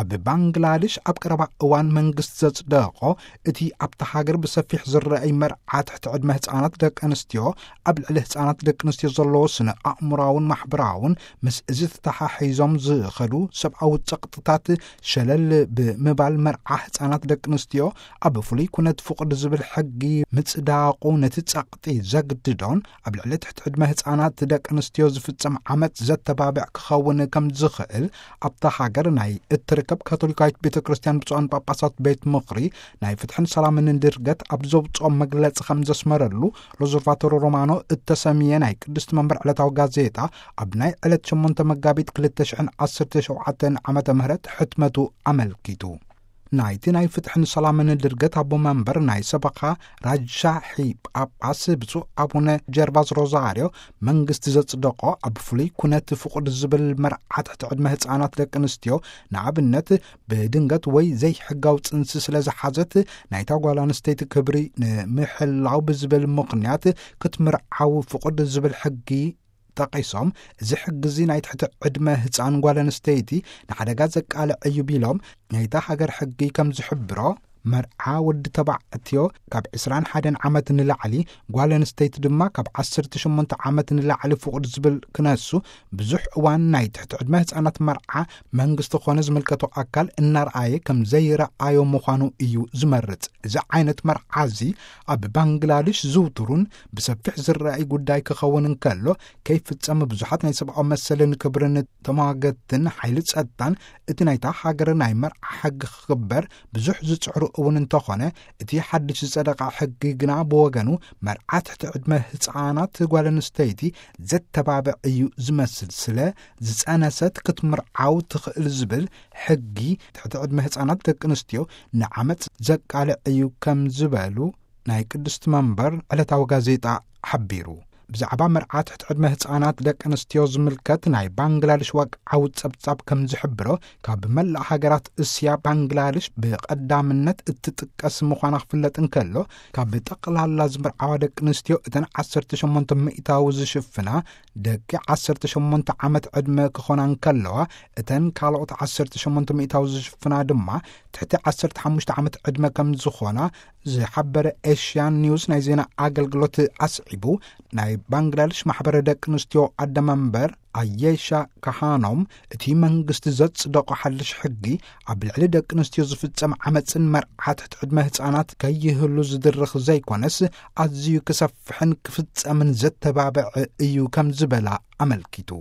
ኣብ ባንግላድሽ ኣብ ቀረባ እዋን መንግስቲ ዘጽደቖ፣ እቲ ኣብታ ሃገር ብሰፊሕ ዝረኣይ መርዓ ትሕቲ ዕድመ ህጻናት ደቂ ኣንስትዮ፣ ኣብ ልዕሊ ህጻናት ደቂ ኣንስትዮ ዘለዎ ስነ ኣእምሮኣውን ማሕበራውን፣ ምስ እዚ ተተሓሒዞም ዝኸዱ ሰብኣዊ ጸቕጥታት ሸለል ብምባል፣ መርዓ ህጻናት ደቂ ኣንስትዮ ኣብ ፍሉይ ኩነት ፍቑድ ዝብል ሕጊ ምጽዳቑ፣ ነቲ ጸቕጢ ዘግድዶን ኣብ ልዕሊ ትሕቲ ዕድመ ህጻናት ደቂ ኣንስትዮ ዝፍጸም ዓመጽ ዘተባብዕ ክኸውን ከም ዝኽእል፣ ኣብታ ሃገር ናይ እትርከብ ካቶሊካዊት ቤተ ክርስቲያን ብፁዓን ጳጳሳት ቤት ምኽሪ ናይ ፍትሕን ሰላምን ድርገት ኣብ ዘውፅኦ መግለጺ ከም ዘስመረሉ፣ ሎዘርቫቶሮ ሮማኖ እተሰምየ ናይ ቅድስቲ መንበር ዕለታዊ ጋዜጣ፣ ኣብ ናይ ዕለት ሸሞንተ መጋቢት ክልተ ሽሕን ዓሰርተ ሸውዓተን ዓመተ ምህረት ሕትመቱ ኣመልኪቱ። ናይቲ ናይ ፍትሕን ሰላምን ድርገት ኣቦ መንበር ናይ ሰበኻ ራጃሒ ጳጳስ ብፁዕ ኣቡነ ጀርቫስ ሮዛርዮ፣ መንግስቲ ዘጽደቆ ኣብ ፍሉይ ኩነት ፍቑድ ዝብል መርዓ ትሕቲ ዕድመ ህጻናት ደቂ ኣንስትዮ፣ ንኣብነት ብድንገት ወይ ዘይሕጋዊ ጽንሲ ስለ ዝሓዘት፣ ናይታ ጓል ኣንስተይቲ ክብሪ ንምሕላው ብዝብል ምኽንያት ክትምርዓው ፍቑድ ዝብል ሕጊ ጠቒሶም፣ እዚ ሕጊ እዚ ናይ ትሕቲ ዕድመ ህጻን ጓል ኣንስተይቲ ንሓደጋ ዘቃልዕ እዩ ቢሎም፣ ናይታ ሃገር ሕጊ ከም ዝሕብሮ፣ መርዓ ወዲ ተባዕትዮ ካብ ዕስራን ሓደን ዓመት ንላዕሊ፣ ጓል ኣንስተይቲ ድማ ካብ ዓሰርተ ሸሞንተ ዓመት ንላዕሊ ፍቑድ ዝብል ክነሱ፣ ብዙሕ እዋን ናይ ትሕቲ ዕድመ ህጻናት መርዓ መንግስቲ ኾነ ዝምልከቶ ኣካል እናርኣየ ከም ዘይረኣዮ ምዃኑ እዩ ዝመርጽ። እዚ ዓይነት መርዓ እዚ ኣብ ባንግላድሽ ዝውቱሩን ብሰፊሕ ዝረኣይ ጉዳይ ክኸውን እንከሎ፣ ከይፍጸም ብዙሓት ናይ ሰብኣዊ መሰልን ክብርን ተሟገትን ሓይሊ ጸጥታን እቲ ናይታ ሃገር ናይ መርዓ ሕጊ ክኽበር ብዙሕ ዝጽዕሩ እውን እንተኾነ፣ እቲ ሓድሽ ዝጸደቐ ሕጊ ግና ብወገኑ መርዓ ትሕቲ ዕድመ ህጻናት ጓል ኣንስተይቲ ዘተባብዕ እዩ ዝመስል። ስለ ዝጸነሰት ክትምርዓው ትኽእል ዝብል ሕጊ ትሕቲ ዕድመ ህጻናት ደቂ ኣንስትዮ ንዓመጽ ዘቃልዕ እዩ ከም ዝበሉ ናይ ቅድስቲ መንበር ዕለታዊ ጋዜጣ ሓቢሩ። ብዛዕባ መርዓ ትሕቲ ዕድመ ህጻናት ደቂ ኣንስትዮ ዝምልከት ናይ ባንግላድሽ ወግዓዊ ጸብጻብ ከም ዝሕብሮ፣ ካብ መላእ ሃገራት እስያ ባንግላድሽ ብቐዳምነት እትጥቀስ ምዃና ክፍለጥ እንከሎ፣ ካብ ጠቕላላ ዝምርዓዋ ደቂ ኣንስትዮ እተን ዓሰርተ ሸሞንተ ሚእታዊ ዝሽፍና ደቂ ዓሰርተ ሸሞንተ ዓመት ዕድመ ክኾና እንከለዋ፣ እተን ካልኦት ዓሰርተ ሸሞንተ ሚእታዊ ዝሽፍና ድማ ትሕቲ ዓሰርተ ሓሙሽተ ዓመት ዕድመ ከም ዝኾና ዝሓበረ ኤሽያን ኒውስ ናይ ዜና ኣገልግሎት ኣስዒቡ፣ ናይ ባንግላድሽ ማሕበረ ደቂ ኣንስትዮ ኣደመንበር ኣየሻ ካሃኖም፣ እቲ መንግስቲ ዘጽደቆ ሓድሽ ሕጊ ኣብ ልዕሊ ደቂ ኣንስትዮ ዝፍጸም ዓመጽን መርዓ ትሕቲ ዕድመ ህጻናት ከይህሉ ዝድርኽ ዘይኮነስ፣ ኣዝዩ ክሰፍሕን ክፍጸምን ዘተባብዕ እዩ ከም ዝበላ ኣመልኪቱ።